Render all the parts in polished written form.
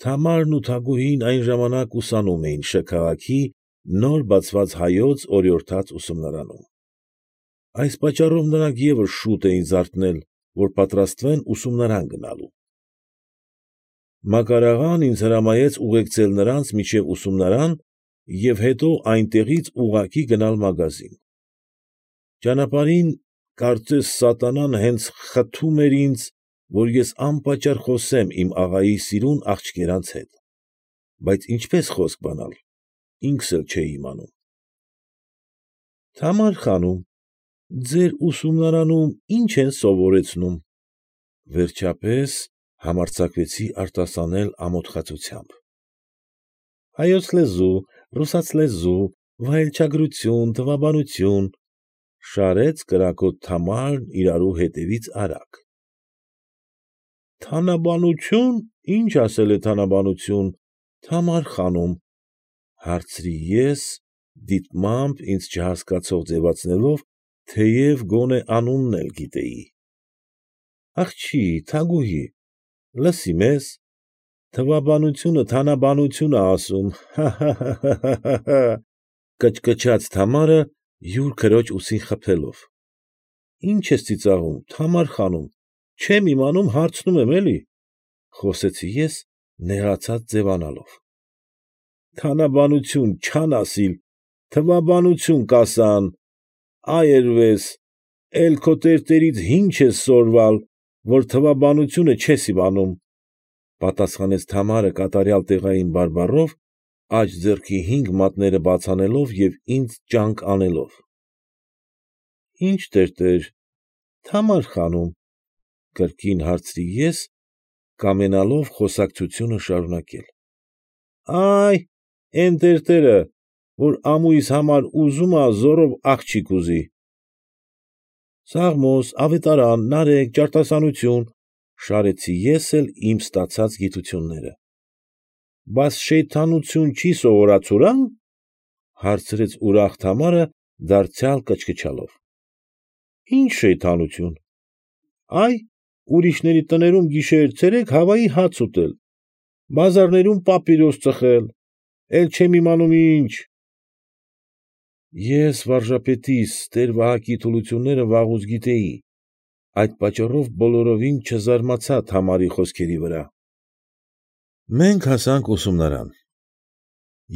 Թամարն ու Թագուհին այն ժամանակ ուսանում էին Շ. քաղաքի նոր բացված Հայոց օրիորդաց ուսումնարանում. այս պատճառով նրանք ևս շուտ էին զարթնել, որ պատրաստվեն ուսումնարան գնալու։ Մակար աղան ինձ հրամայեց ուղեկցել նրանց մինչև ուսումնարան և հետո այնտեղից ուղղակի գնալ մագազին։ Ճանապարհին, կարծես սատանան հենց խթում էր ինձ, որ ես անպատճառ խոսեմ իմ աղայի սիրուն աղջկերանց հետ, բայց ինչպես խոսք բանալ, ինքս էլ չէի իմանում։ ֊ Թամար խանում, ձեր ուսումնարանում ի՞նչ են սովորեցնում, ֊ վերջապես համարձակվեցի արտասանել ամոթխածությամբ։ ֊ Հայոց լեզու, ռուսաց լեզու, վայելչագրություն, թվաբանություն, ֊ շարեց կրակոտ Թամարն իրարու հետևից արագ։ ֊ Թանաբանությո՞ւն, ի՞նչ ասել է թանաբանություն, Թամար խանում, ֊ հարցրի ես, դիտմամբ ինձ չհասկացող ձևացնելով, թեև գոնե անունն էլ գիտեի։ ֊ Աղջի, Թագուհի, լսի մեզ, թվաբանությունը թանաբանություն ա ասում, հա՛֊հա՛֊հա՛, ֊ կչկչաց Թամարը, յուր քրոջ ուսին խփելով։ ֊ Ի՞նչ ես ծիծաղում, Թամար խանում, չեմ իմանում հարցնում եմ էլի, ֊ խոսեցի ես նեղացած ձևանալով։ ֊ Թանաբանություն չան ասիլ, թվաբանություն կասան, այրվես, էլ քո տերտերից հինչ ես սորվալ, որ թվաբանությունը չես իմանում, ֊ պատասխանեց Թամարը կատարյալ տեղային բարբառով, աջ ձեռքի 5 մատները բաց անելով և ինձ ճանկ անելով։ ֊ Ի՞նչ տերտեր, Թամար խանում, ֊ կրկին հարցրի ես, կամենալով խոսակցությունը շարունակել։ ֊ Ա՛յ, էն տերտերը, որ ամույս համար ուզում ա զոռով աղջիկ ուզի։ ֊ Սաղմոս, ավետարան, նարեկ, ճարտասանություն, ֊ շարեցի ես էլ իմ ստացած գիտությունները։ ֊ Բաս շեյթանություն չի սովորացուրան, ֊ հարցրեց ուրախ Թամարը, դարձյալ կչկչալով։ ֊ Ի՞նչ շեյթանություն։ ֊ Ա՛յ, ուրիշների տներում գիշեր֊ցերեկ հավայի հաց ուտել, բազարներում պապիրոս ծխել, էլ չեմ իմանում ինչ… Ես վարժապետիս տեր֊Վահակի թուլությունները վաղուց գիտեի, այդ պատճառով բոլորովին չզարմացա Թամարի խոսքերի վրա։ Մենք հասանք ուսումնարան։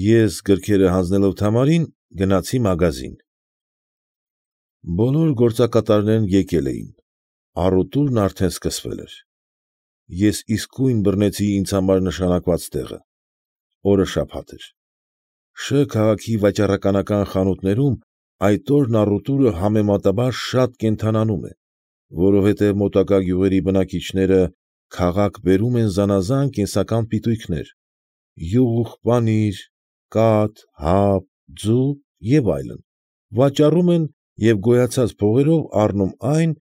Ես, գրքերը հանձնելով Թամարին, գնացի մագազին։ Բոլոր գործակատարներն եկել էին, առուտուրն արդեն սկսվել էր։ Ես իսկույն բռնեցի ինձ համար նշանակված տեղը։ Օրը շաբաթ էր։ Շ. քաղաքի վաճառականական խանութներում այդ օրն առուտուրը համեմատաբար շատ կենդանանում է, որովհետև մոտակա գյուղերի բնակիչները քաղաք բերում են զանաղան կենսական պիտույքներ՝ յուղ, պանիր, կաթ, հաբ, ձու և այլն, վաճառում են և գոյացած փողերով առնում այն,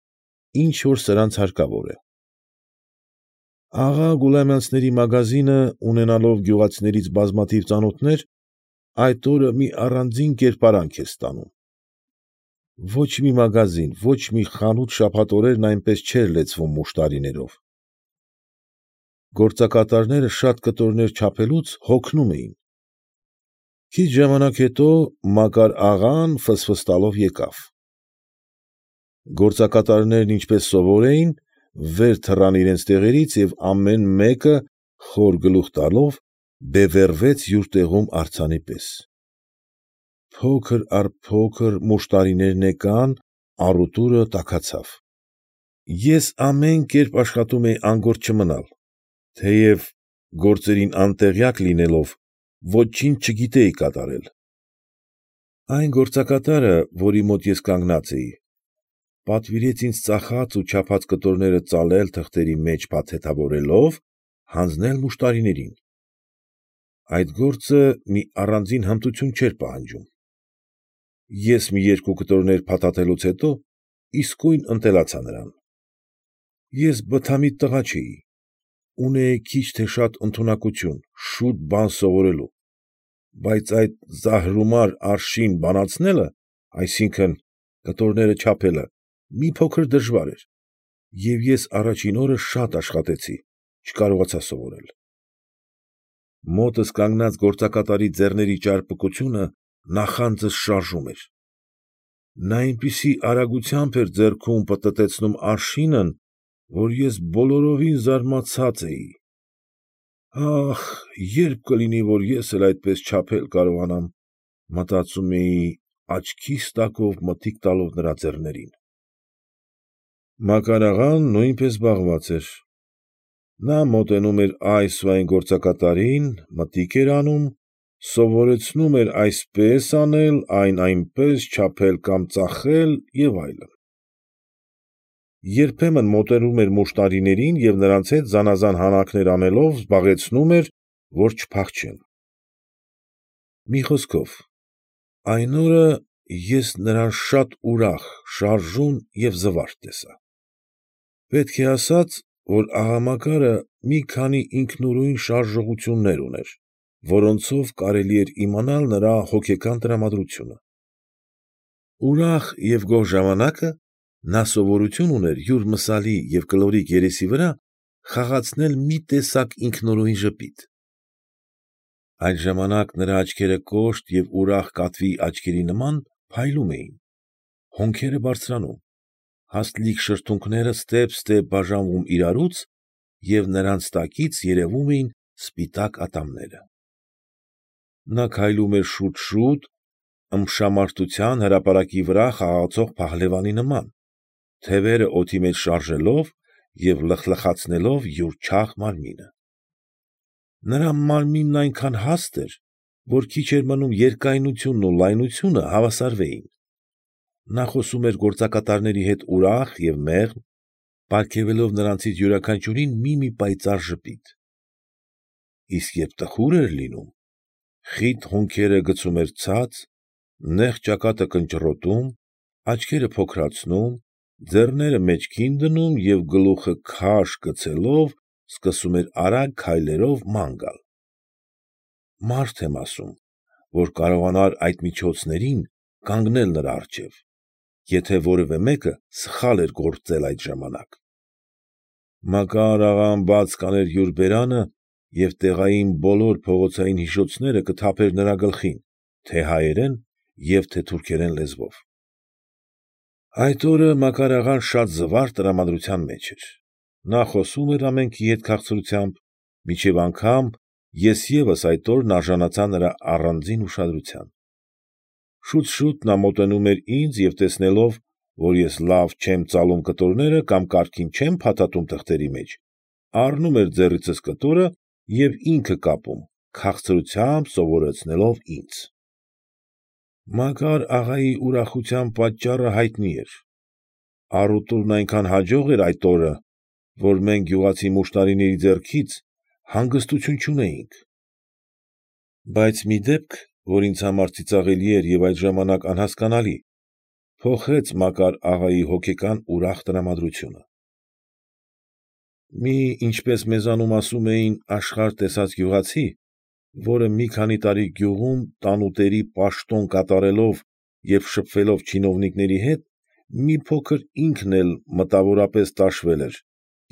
ինչ որ սրանց հարկավոր է։ Աղա Գուլամյանցների մագազինը, ունենալով գյուղացիներից բազմաթիվ ծանոթներ, այդ օրը մի առանձին կերպարանք էր ստանում։ Ոչ մի մագազին, ոչ մի խանութ շաբաթօրերն այնպես չէր լեցվում մուշտարիներով։ Գործակատարները շատ կտորներ չափելուց հոգնում էին։ Քիչ ժամանակ հետո Մակար աղան ֆսֆստալով եկավ։ Գործակատարներն ինչպես սովոր էին, վեր թռան իրենց տեղերից և ամեն մեկը, խոր գլուխ տալով, բևեռվեց յուր տեղում արձանի պես։ Փոքր առ փոքր մուշտարիներն եկան, առուտուրը տաքացավ։ Ես ամեն կերպ աշխատում էի անգործ չմնալ, թեև, գործերին անտեղյակ լինելով, ոչինչ չգիտեի կատարել։ Այն գործակատարը, որի մոտ ես կանգնած էի, պատվիրեց ինձ ծախած ու չափած կտորները ծալել թղթերի մեջ փաթեթավորելով, հանձնել մուշտարիներին։ Այդ գործը մի առանձին հմտություն չէր պահանջում։ Ես մի երկու կտորներ փաթաթելուց հետո իսկույն ընտելացա նրան։ Ես բթամիտ տղա չէի, ունեի քիչ թե շատ ընդունակություն շուտ բան սովորելու, բայց այդ զահրումար արշին բանացնելը, այսինքն՝ կտորները չափելը, մի փոքր դժվար էր, և ես առաջին օրը շատ աշխատեցի, չկարողացա սովորել։ Մոտս կանգնած գործակատարի ձեռների ճարպկությունը նախանձս շարժում էր։ Նա այնպիսի արագությամբ էր ձեռքում պտտեցնում արշինն, որ ես բոլորովին զարմացած էի։ «Ախ, երբ կլինի, որ ես էլ այդպես չափել կարողանամ», մտածում էի, աչքիս տակով մտիկ տալով նրա ձեռներին։ Մակար աղան նույնպես զբաղված էր։ Նա մոտենում էր այս ու այն գործակատարին, մտիկ էր անում, սովորեցնում էր այսպես անել, այն այնպես չափել կամ ծախել և այլն։ Երբեմն մոտենում էր մուշտարիներին և նրանց հետ զանաղան հանակներ անելով զբաղեցնում էր, որ չփախչեն։ Մի խոսքով, այն օրը ես նրան շատ ուրախ, շարժուն և զվարթ տեսա։ Պետք է ասած, որ աղա Մակարը մի քանի ինքնուրույն շարժողություններ ուներ, որոնցով կարելի էր իմանալ նրա հոգեկան տրամադրությունը։ Ուրախ և գոհ ժամանակը նա սովորություն ուներ յուր մսալի և կլորիկ երեսի վրա խաղացնել մի տեսակ ինքնուրույն ժպիտ։ Այդ ժամանակ նրա աչքերը կոշտ և ուրախ կատվի աչքերի նման փայլում էին, հոնքերը բարձրանում, հաստլիկ շրթունքները ստեպ֊ստեպ բաժանվում իրարուց և նրանց տակից երևում էին սպիտակ ատամները։ Նա քայլում էր շուտ֊շուտ, ըմբշամարտության հրապարակի վրա խաղացող փահլևանի նման, թևերը օդի մեջ շարժելով և լխլխացնելով յուր չաղ մարմինը։ Նրա մարմինն այնքան հաստ էր, որ քիչ էր մնում երկայնությունն ու լայնությունը հավասարվեին։ Նա խոսում էր գործակատարների հետ ուրախ և մեղմ, պարգևելով նրանցից յուրաքանչյուրին մի պայծառ ժպիտ։ Իսկ երբ տխուր էր լինում, խիտ հոնքերը գցում էր ցած, նեղ ճակատը կնճռոտում, աչքերը փոքրացնում, ձեռները մեջքին դնում և գլուխը քաշ գցելով սկսում էր արագ քայլերով ման գալ։ Մարդ եմ ասում, որ կարողանար այդ միջոցներին կանգնել նրա առջև, եթե որևէ մեկը սխալ էր գործել այդ ժամանակ։ Մակար աղան բաց կաներ յուր բերանը և տեղային բոլոր փողոցային հիշոցները կթափեր նրա գլխին, թե՛ հայերեն և թե՛ թուրքերեն լեզվով։ Այդ օրը Մակար աղան շատ զվարթ տրամադրության մեջ էր։ Նա խոսում էր ամենքի հետ քաղցրությամբ, մինչև անգամ ես ևս այդ օրն արժանացա նրա առանձին ուշադրության։ Շուտ֊շուտ նա մոտենում էր ինձ և տեսնելով, որ ես լավ չեմ ծալում կտորները կամ կարգին չեմ փաթաթում թղթերի մեջ, առնում էր ձեռքիցս կտորը և ինքը կապում, քաղցրությամբ սովորեցնելով ինձ։ Մակար աղայի ուրախության պատճառը հայտնի էր։ Առուտուրն այնքան հաջող էր այդ օրը, որ մենք գյուղացի մուշտարիների ձեռքից հանգստություն չունեինք։ Բայց մի դեպք, որ ինձ համար ծիծաղելի էր և այդ ժամանակ անհասկանալի, փոխեց Մակար աղայի հոգեկան ուրախ տրամադրությունը։ Մի, ինչպես մեզանում ասում էին, աշխարհ տեսած գյուղացի, որը մի քանի տարի գյուղում տանուտերի պաշտոն կատարելով և շփվելով չինովնիկների հետ, մի փոքր ինքն էլ մտավորապես տաշվել էր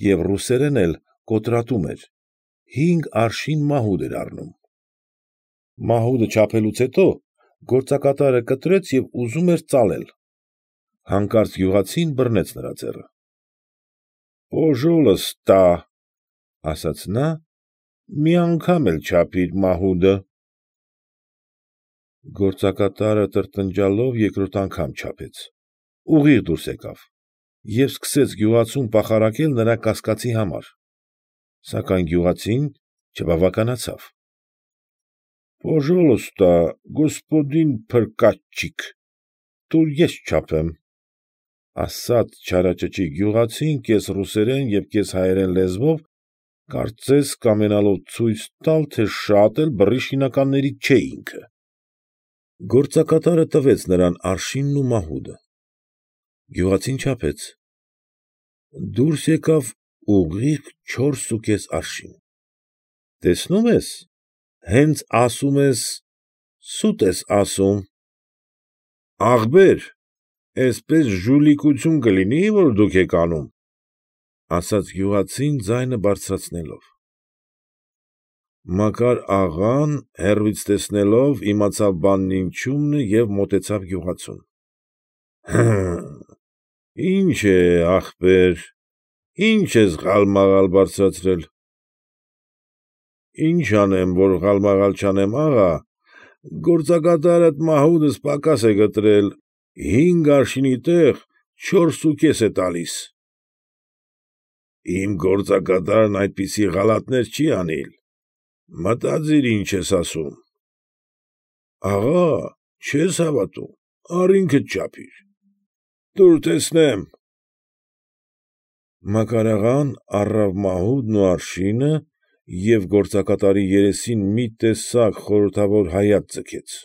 և ռուսերեն էլ կոտրատում էր, 5 արշին մահուդ էր առնում։ Մահուդը չափելուց հետո գործակատարը կտրեց և ուզում էր ծալել։ Հանկարծ գյուղացին բռնեց նրա ձեռը։ ֊ Պոժոլըստա, ֊ ասաց նա, ֊ մի անգամ էլ չափիր մահուդը։ Գործակատարը տրտնջալով երկրորդ անգամ չափեց, ուղիղ դուրս եկավ և սկսեց գյուղացուն պախարակել նրա կասկածի համար, սակայն գյուղացին չբավականացավ։ ֊ Պոժոլոստա, գոսպոդին փրկատչիկ, տուր ես չափեմ, ֊ ասաց չարաճճի գյուղացին կես ռուսերեն և կես հայերեն լեզվով, կարծես կամենալով ցույց տալ, թե շատ էլ բռի շինականներից չէ ինքը։ Գործակատարը տվեց նրան արշինն ու մահուդը։ Գյուղացին չափեց։ Դուրս եկավ ուղիղ 4.5 արշին։ ֊ Տեսնում ես, հենց ասում ես, սուտ ես ասում։ ֊ Ախպեր, էսպես ժուլիկություն կլինի, որ դուք եք անում, ֊ ասաց գյուղացին ձայնը բարձրացնելով։ Մակար աղան, հեռվից տեսնելով, իմացավ բանն ինչումն է և մոտեցավ գյուղացուն։ ֊ Ի՞նչ է, ախպեր, ի՞նչ ես ղալմաղալ բարձրացրել։ ֊ Ի՞նչ անեմ, որ ղալմաղալ չանեմ, աղա, գործակատարդ մահուդս պակաս է գտրել, 5 արշինի տեղ 4.5 է տալիս։ ֊ Իմ գործակատարն այդպիսի ղալաթներ չի անիլ, մտածիր ինչ ես ասում։ ֊ Աղա, չես հավատում, առ ինքդ չափիր։ ֊ Տուր տեսնեմ։ Մակար աղան առավ մահուդն ու արշինը և գործակատարի երեսին մի տեսակ խորհրդավոր հայացք ձգեց։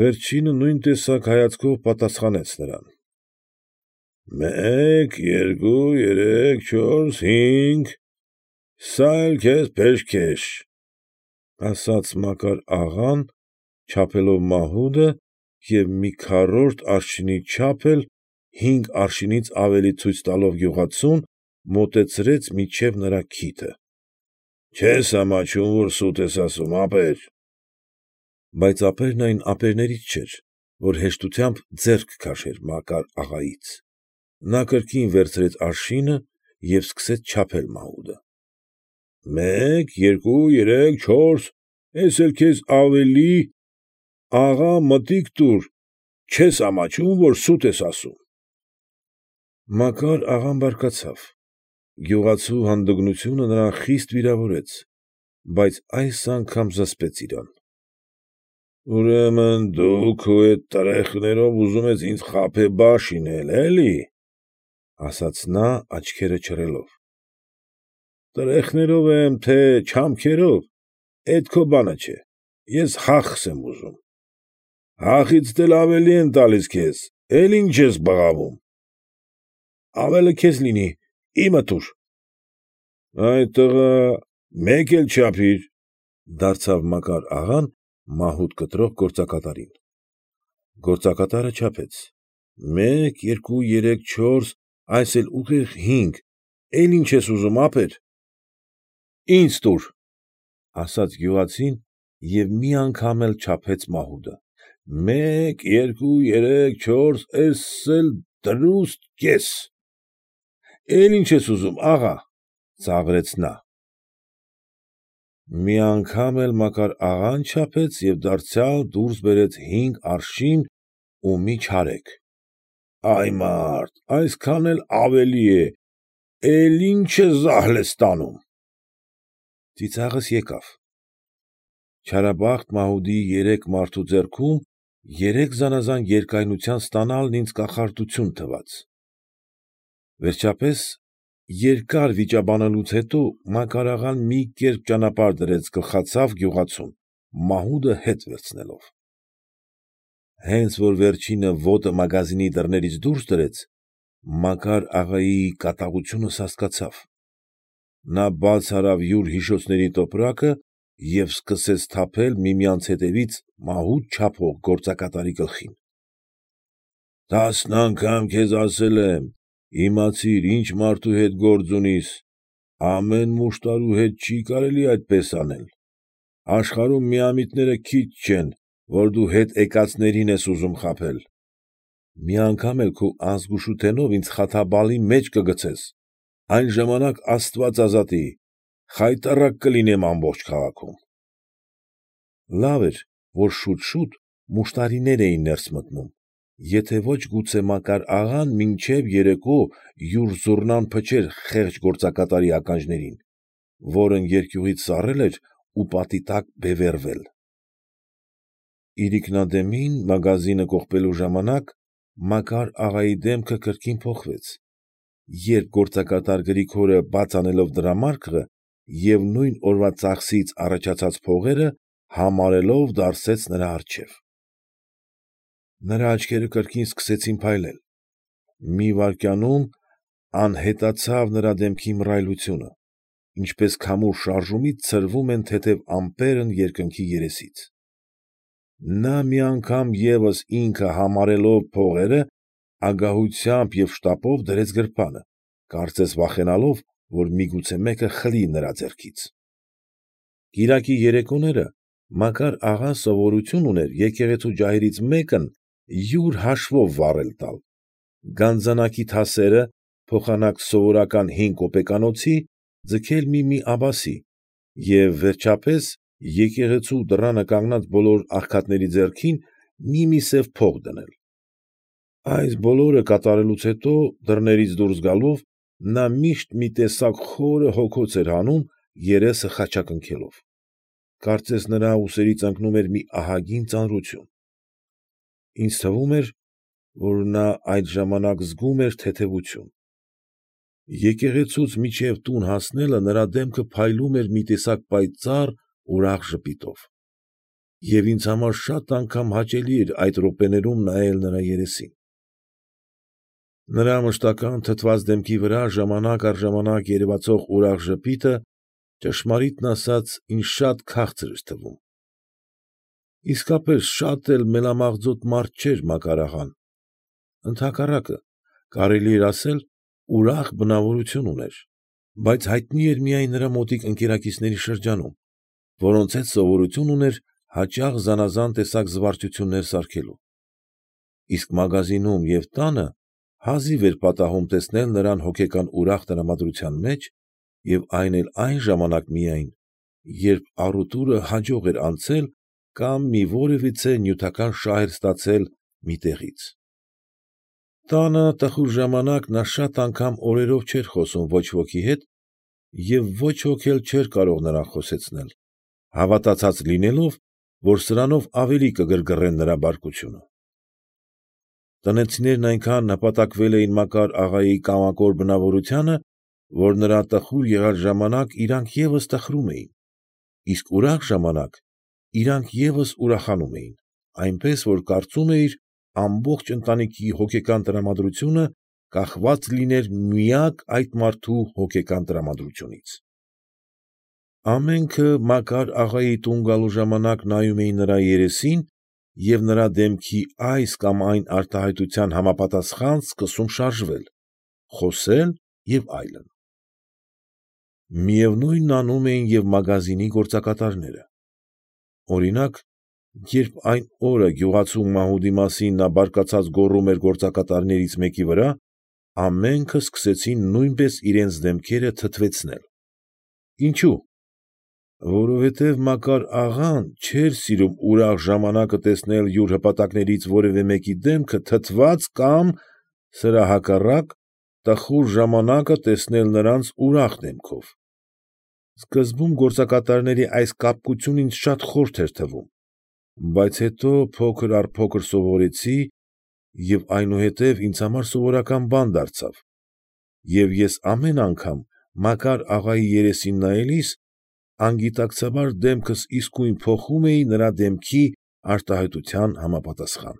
Վերջինը նույն տեսակ հայացքով պատասխանեց նրան։ ֊ 1, 2, 3, 4, 5, սա էլ քեզ փեշքեշ, ֊ ասաց Մակար աղան, չափելով մահուդը և մի քառորդ արշինի չափ էլ 5 արշինից ավելի ցույց տալով գյուղացուն, մոտեցրեց մինչև նրա քիթը։ ֊ Չե՞ս ամաչում, որ սուտ ես ասում, ապեր։ Բայց ապերն այն ապերներից չէր, որ հեշտությամբ ձեռք քաշեր Մակար աղայից։ Նա կրկին վերցրեց արշինը և սկսեց չափել մահուդը։ ֊ 1, 2, 3, 4, էս էլ քեզ ավելի, աղա, մտիկ տուր, չե՞ս ամաչում, որ սուտ ես ասում։ Մակար աղան բարկացավ։ Գյուղացու հանդգնությունը նրան խիստ վիրավորեց, բայց այս անգամ զսպեց իրան։ ֊ Ուրեմն դու քո էդ տրեխներով ուզում ես ինձ խաբեբա շինել, էլի, ֊ ասաց նա, աչքերը չռելով։ ֊ Տրեխներով եմ, թե չամքերով, էդ քո բանը չէ, ես հախս եմ ուզում։ ֊ Հախից դե էլ ավելի են տալիս քեզ, էլ ինչ ես բղավում։ ֊ Ավելը քեզ լինի, իմը տուր։ ֊ Այ տղա, մեկ էլ չափիր, ֊ դարձավ Մակար աղան մահուդ կտրող գործակատարին։ Գործակատարը չափեց։ 1, 2, 3, 4, այս էլ ուղիղ 5, էլ ինչ ես ուզում, ապեր։ ֊ Ինձ տուր, ֊ ասաց գյուղացին և մի անգամ էլ չափեց մահուդը։ 1, 2, 3, 4, էս էլ դրուստ կես։ ֊ Էլ ինչ ես ուզում, աղա, ֊ ծաղրեց նա։ Մի անգամ էլ Մակար աղան չափեց և դարձյալ դուրս բերեց 5 արշին ու մի չարեկ։ ֊ Այ մարդ, այսքան էլ ավելի է, էլ ինչ ես զահլես տանում։ Ծիծաղս եկավ։ Չարաբախտ մահուդի 3 մարդու ձեռքում 3 զանաղան երկայնության ստանալն ինձ կախարդություն թվաց։ Վերջապես, երկար վիճաբանելուց հետո Մակար աղան մի կերպ ճանապարհ դրեց գլխացավ գյուղացուն, մահուդը հետ վերցնելով։ Հենց որ վերջինը ոտը մագազինի դռներից դուրս դրեց, Մակար աղայի կատաղությունը սաստկացավ։ Նա բաց արավ յուր հիշոցների տոպրակը և սկսեց թափել միմյանց հետևից մահուդ չափող գործակատարի գլխին։ ֊ 10 անգամ քեզ ասել եմ, իմացիր ինչ մարդու հետ գործ ունիս, ամեն մուշտարու հետ չի կարելի այդպես անել, աշխարհում միամիտները քիչ չեն, որ դու հետ եկածներին ես ուզում խաբել, մի անգամ էլ քո անզգուշութենով ինձ խաթաբալի մեջ կգցես, այն ժամանակ աստված ազատի, խայտառակ կլինեմ ամբողջ քաղաքում։ Լավ էր, որ շուտ֊շուտ մուշտարիներ էին ներս մտնում, եթե ոչ գուցե Մակար աղան մինչև երեկո յուր զուռնան փչեր խեղճ գործակատարի ականջներին, որն երկյուղից սառել էր ու պատի տակ բևեռվել։ Իրիկնադեմին մագազինը կողպելու ժամանակ Մակար աղայի դեմքը կրկին փոխվեց, երբ գործակատար Գրիգորը բաց անելով դրամարկղը և նույն օրվա ծախսից առաջացած փողերը համարելով դարսեց նրա առջև։ Նրա աչքերը կրկին սկսեցին փայլել։ Մի վայրկյանում անհետացավ նրա դեմքի մռայլությունը, ինչպես քամու շարժումից ցրվում են թեթև ամպերն երկնքի երեսից։ Նա մի անգամ ևս ինքը համարելով փողերը, ագահությամբ և շտապով դրեց գրպանը, կարծես վախենալով, որ միգուցե մեկը խլի նրա ձեռքից։ Կիրակի երեկոները Մակար աղան սովորություն ուներ եկեղեցու ջահերից մեկն յուր հաշվով վառել տալ, գանձանակի թասերը փոխանակ սովորական 5 կոպեկանոցի ձգել մի աբասի և, վերջապես, եկեղեցու դռանը կանգնած բոլոր աղքատների ձեռքին մի սև փող դնել։ Այս բոլորը կատարելուց հետո, դռներից դուրս գալով, նա միշտ մի տեսակ խորը հոգոց էր հանում, երեսը խաչակնքելով։ Կարծես նրա ուսերից ընկնում էր մի ահագին ծանրություն։ Ինձ թվում էր, որ նա այդ ժամանակ զգում էր թեթևություն։ Եկեղեցուց մինչև տուն հասնելը նրա դեմքը փայլում էր մի տեսակ պայծառ ուրախ ժպիտով, և ինձ համար շատ անգամ հաճելի էր այդ րոպեներում նայել նրա երեսին։ Նրա մշտական թթված դեմքի վրա ժամանակ առ ժամանակ երևացող ուրախ ժպիտը, ճշմարիտն ասած, ինձ շատ քաղցր էր թվում։ Իսկապես շատ էլ մելամաղձոտ մարդ չէր Մակար աղան, ընդհակառակը, կարելի էր ասել, ուրախ բնավորություն ուներ, բայց հայտնի էր միայն նրա մոտիկ ընկերակիցների շրջանում, որոնց հետ սովորություն ուներ հաճախ զանաղան տեսակ զվարճություններ սարքելու։ Իսկ մագազինում և տանը հազիվ էր պատահում տեսնել նրան հոգեկան ուրախ տրամադրության մեջ և այն էլ այն ժամանակ միայն, երբ առուտուրը հաջող էր անցել կամ մի որևիցե նյութական շահ էր ստացել մի տեղից։ Տանը տխուր ժամանակ նա շատ անգամ օրերով չէր խոսում ոչ ոքի հետ և ոչ ոք էլ չէր կարող նրան խոսեցնել, հավատացած լինելով, որ սրանով ավելի կգրգռեն նրա բարկությունը։ Տնեցիներն այնքան նպատակվել էին Մակար աղայի կամակոր բնավորությանը, որ նրա տխուր եղած ժամանակ իրանք ևս տխրում էին, իսկ ուրախ ժամանակ իրանք ևս ուրախանում էին, այնպես որ կարծում էիր ամբողջ ընտանիքի հոգեկան տրամադրությունը կախված լիներ միակ այդ մարդու հոգեկան տրամադրությունից։ Ամենքը Մակար աղայի տուն գալու ժամանակ նայում էին նրա երեսին և նրա դեմքի այս կամ այն արտահայտության համապատասխան սկսում շարժվել, խոսել և այլն։ Միևնույնն անում էին և մագազինի գործակատարները։ Օրինակ, երբ այն օրը գյուղացու մահուդի մասին նա բարկացած գոռում էր գործակատարներից մեկի վրա, ամենքը սկսեցին նույնպես իրենց դեմքերը թթվեցնել։ Ինչո՞ւ։ Որովհետև Մակար աղան չէր սիրում ուրախ ժամանակը տեսնել յուր հպատակներից որևէ մեկի դեմքը թթված կամ, սրա հակառակ, տխուր ժամանակը տեսնել նրանց ուրախ դեմքով։ Սկզբում գործակատարների այս կապկությունն ինձ շատ խորթ էր թվում, բայց հետո փոքր առ փոքր սովորեցի և այնուհետև ինձ համար սովորական բան դարձավ, և ես ամեն անգամ Մակար աղայի երեսին նայելիս անգիտակցաբար դեմքս իսկույն փոխում էի նրա դեմքի արտահայտության համապատասխան։